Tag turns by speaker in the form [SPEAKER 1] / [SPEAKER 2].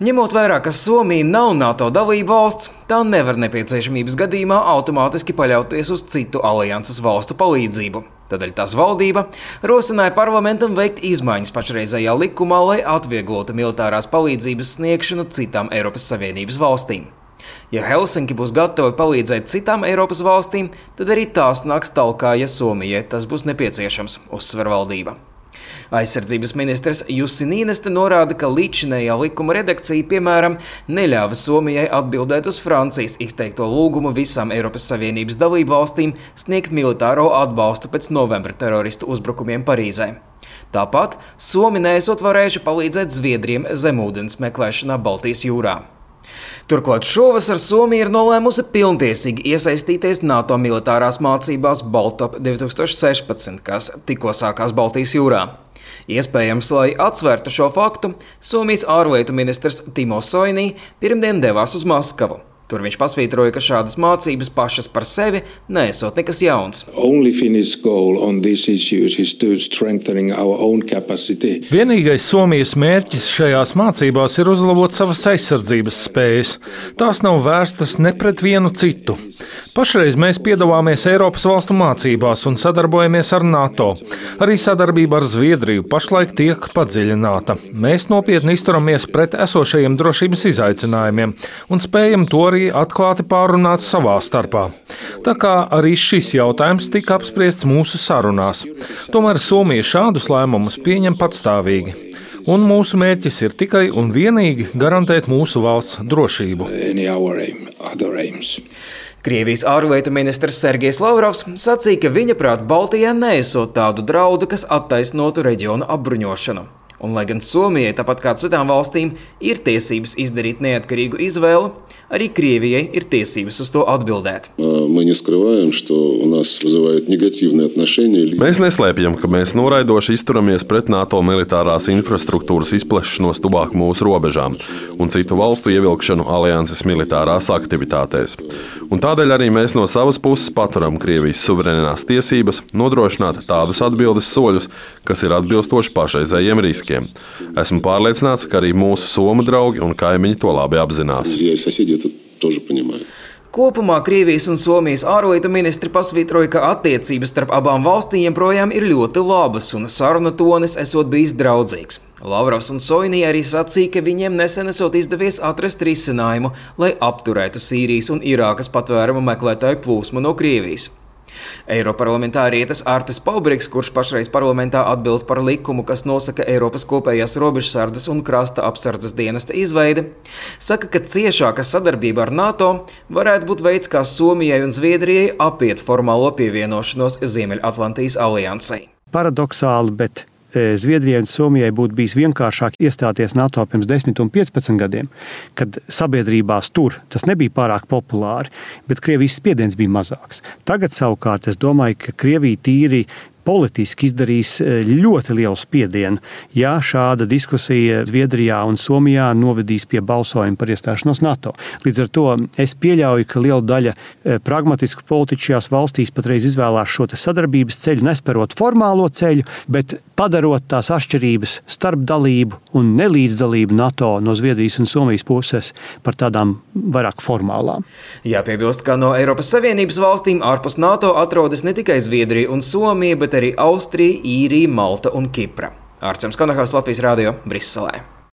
[SPEAKER 1] Ņemot vērā, ka Somija nav NATO dalība valsts, tā nevar nepieciešamības gadījumā automātiski paļauties uz citu alianses valstu palīdzību. Tādēļ tās valdība rosināja parlamentam veikt izmaiņas pašreizējā likumā, lai atvieglotu militārās palīdzības sniegšanu citām Eiropas Savienības valstīm. Ja Helsinki būs gatava palīdzēt citām Eiropas valstīm, tad arī tās nāks talkā, ja Somijai tas būs nepieciešams, uzsver valdība. Aizsardzības ministrs Jussi Niinistö norāda, ka līdzinējā likuma redakcija, piemēram, neļāva Somijai atbildēt uz Francijas izteikto lūgumu visām Eiropas Savienības dalību valstīm sniegt militāro atbalstu pēc novembra teroristu uzbrukumiem Parīzē. Tāpat Somi neesot varējuši palīdzēt Zviedriem zemūdens meklēšanā Baltijas jūrā. Turklāt šovasar Somija ir nolēmusi pilntiesīgi iesaistīties NATO militārās mācībās Baltop 2016, kas tikko sākās Baltijas jūrā. Iespējams, lai atsvērtu šo faktu, Somijas ārlietu ministrs Timo Soini pirmdien devās uz Maskavu. Tur viņš pasvītroja, ka šādas mācības pašas par sevi neesot nekas jauns.
[SPEAKER 2] Vienīgais Somijas mērķis šajās mācībās ir uzlabot savas aizsardzības spējas. Tās nav vērstas ne pret vienu citu. Pašreiz mēs piedalāmies Eiropas valstu mācībās un sadarbojamies ar NATO. Arī sadarbība ar Zviedriju pašlaik tiek padziļināta. Mēs nopietni izturamies pret esošajiem drošības izaicinājumiem un spējam to arī atklāti pārunāt savā starpā. Tā kā arī šis jautājums tika apspriests mūsu sarunās. Tomēr Somija šādus lēmumus pieņem patstāvīgi. Un mūsu mērķis ir tikai un vienīgi garantēt mūsu valsts drošību.
[SPEAKER 1] Krievijas ārlietu ministrs Sergejs Lavrovs sacīja, ka viņa prāt Baltijā neesot tādu draudu, kas attaisnotu reģionu apbruņošanu. Un, lai gan Somijai, tāpat kā citām valstīm, ir tiesības izdarīt neatkarīgu izvēli, arī Krievijai ir tiesības uz to atbildēt.
[SPEAKER 3] Mēs neslēpjam, ka mēs noraidoši izturamies pret NATO militārās infrastruktūras izplešanos tuvāk mūsu robežām un citu valstu ievilkšanu alianses militārās aktivitātēs. Un tādēļ arī mēs no savas puses paturam Krievijas suverēnās tiesības nodrošināt tādus atbildes soļus, kas ir atbilstoši pašreizējiem riskiem. Esmu pārliecināts, ka arī mūsu somu draugi un kaimiņi to labi apzinās.
[SPEAKER 1] Kopumā Krievijas un Somijas ārlietu ministri pasvītroja, ka attiecības starp abām valstīm joprojām ir ļoti labas un sarunu tonis esot bijis draudzīgs. Lavrovs un Soini arī sacīja, ka viņiem nesen esot izdevies atrast risinājumu, lai apturētu Sīrijas un Irākas patvērumu meklētāju plūsmu no Krievijas. Eiroparlamentārietis Artis Paubriks, kurš pašreiz parlamentā atbild par likumu, kas nosaka Eiropas kopējās robežsardzes un krasta apsardzes dienesta izveidi, saka, ka ciešāka sadarbība ar NATO varētu būt veids, kā Somijai un Zviedrijai apiet formālo pievienošanos Ziemeļatlantijas aliansei.
[SPEAKER 4] Paradoxāli, bet Zviedrijai un Somijai būtu bijis vienkāršāk iestāties NATO pirms 10 un 15 gadiem, kad sabiedrībās tur tas nebija pārāk populāri, bet Krievijas spiediens bija mazāks. Tagad savukārt es domāju, ka Krievija tīri politiski izdarīs ļoti lielu spiedienu, ja šāda diskusija Zviedrijā un Somijā novedīs pie balsojuma par iestāšanos NATO. Līdz ar to es pieļauju, ka liela daļa pragmatisku politiķu šajās valstīs patreiz izvēlās šo sadarbības ceļu, nesperot formālo ceļu, bet padarot tās atšķirības starp dalību un nelīdzdalību NATO no Zviedrijas un Somijas puses par tādām vairāk formālām.
[SPEAKER 1] Jāpiebilst, ka no Eiropas Savienības valstīm ārpus NATO atrodas ne tikai Zviedrija un Somija, bet arī Austrija, Īrija, Malta un Kipra. Ārčuns Konahaus, Latvijas radio, Briselē.